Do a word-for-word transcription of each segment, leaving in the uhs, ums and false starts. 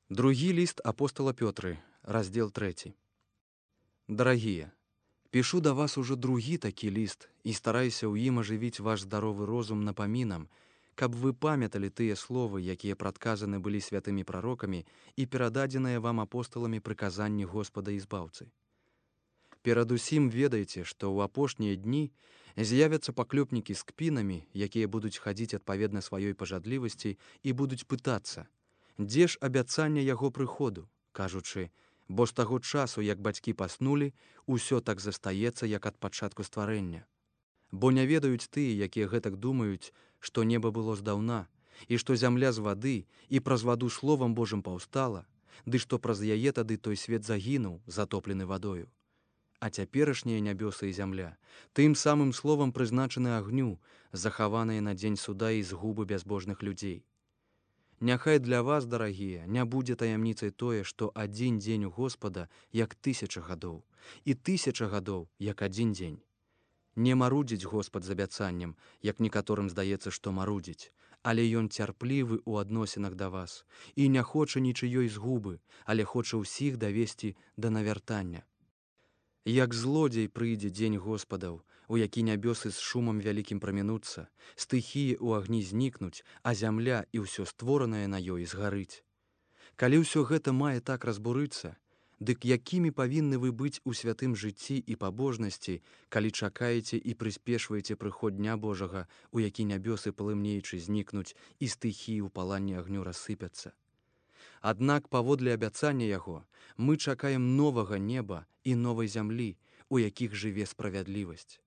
Другі ліст апостала Пётры, раздзел трэці. Дарагія, пішу да вас ужо другі такі ліст і стараюся ў ім ажывіць ваш здаровы розум напамінам, каб вы памяталі тыя словы, якія прадказаны былі святымі прарокамі і перададзеныя вам апосталамі прыказанні Господа і збаўцы. Перадусім ведайце, што ў апошнія дні з'явяцца паклёпнікі з кпінамі, якія будуць хадзіць адпаведна сваёй пажадлівасці і будуць пытацца, дзе ж абяцанне яго прыходу, кажучы, бо з таго часу, як бацькі паснулі, усё так застаецца, як ад пачатку стварэння. Бо не ведаюць тыя, якія гэтак думаюць, што неба было здаўна, і што зямля з вады і праз ваду словам Божым паўстала, ды што праз яе тады той свет загінуў, затоплены вадою. А цяперашнія нябёсы і зямля тым самым словам прызначаны агню, захаваныя на дзень суда і згубы бязбожных людзей. Няхай для вас, дарагія, не будзе таямніцай тое, што адзін дзень у Господа, як тысяча гадоў, і тысяча гадоў, як адзін дзень. Не марудзіць Господ з абяцаннем, як некаторым здаецца, што марудзіць, але ён цярплівы ў адносінах да вас і не хоча нічыёй згубы, але хоча ўсіх давесці да навяртання. Як злодзей прыйдзе дзень Господаў, у які нябёсы з шумам вялікім прамінуцца, стыхіі ў агні знікнуць, а зямля і ўсё створанае на ёй згарыць. Калі ўсё гэта мае так разбурыцца, дык якімі павінны вы быць у святым жыцці і пабожнасці, калі чакаеце і прыспешваеце прыход дня Божага, у які нябёсы палымнеючы знікнуць і стыхіі ў паланні агню рассыпяцца? Аднак паводле абяцання яго мы чакаем новага неба і новай зямлі, у якіх жыве справядлівасць.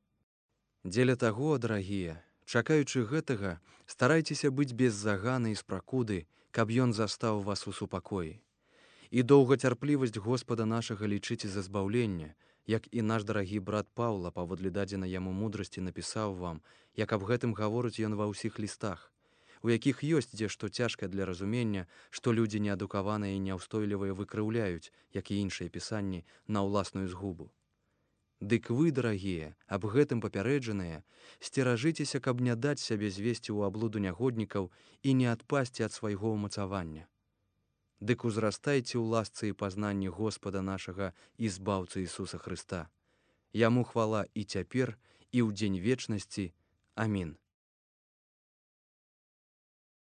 Дзеля таго, дарагія, чакаючы гэтага, старайцеся быць без заганы і спракуды, каб ён застаў вас у супакоі. І доўгацярплівасць Господа нашага лічыце за збаўленне, як і наш дарагі брат Паўла, паводле дадзенай яму мудрасці, напісаў вам, як аб гэтым гаворыць ён ва ўсіх лістах, у якіх ёсць дзе-што цяжкае для разумення, што людзі неадукаваныя і няўстойлівыя выкрыўляюць, як і іншыя пісанні, на ўласную згубу. Дык вы, дарагія, аб гэтым папярэджаныя, сцеражыцеся, каб не даць сябе звесці ў аблуду нягоднікаў і не адпасці ад свайго ўмацавання. Дык узрастайце ў ласцы і пазнанні Господа нашага і збаўцы Ісуса Хрыста. Яму хвала і цяпер, і ў дзень вечнасці. Амін.